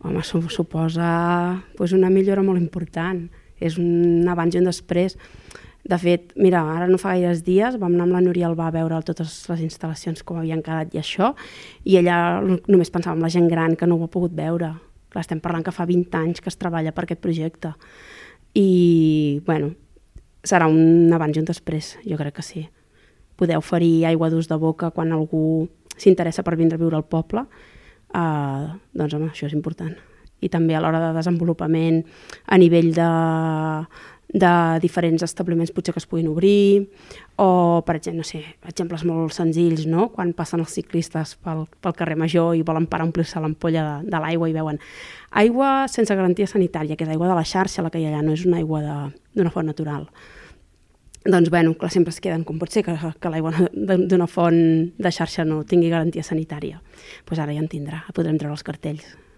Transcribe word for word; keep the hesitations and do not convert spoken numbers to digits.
home, suposa pues, una millora molt important. És un abans i un després. De fet, mira, ara no fa gaires dies vam anar amb la Núria Albà a veure totes les instal·lacions com havien quedat i això, i ella només pensava en la gent gran que no ho ha pogut veure. Clar, estem parlant que fa vint anys que es treballa per aquest projecte. I, bueno, serà un abans i un després, jo crec que sí. Poder oferir aigua d'ús de boca quan algú s'interessa per vindre a viure al poble, eh, doncs home, això és important. I també a l'hora de desenvolupament a nivell de, de diferents establiments potser que es puguin obrir, o per exemple, no sé, exemples molt senzills, no? Quan passen els ciclistes pel, pel carrer Major i volen parar a omplir-se l'ampolla de, de l'aigua i veuen aigua sense garantia sanitària, que és aigua de la xarxa la que hi ha allà, no és una aigua d'una font natural. Doncs, bueno, clar, sempre es queden, com pot ser que, que l'aigua d'una font de xarxa no tingui garantia sanitària. Doncs ara ja en tindrà, podrem treure els cartells.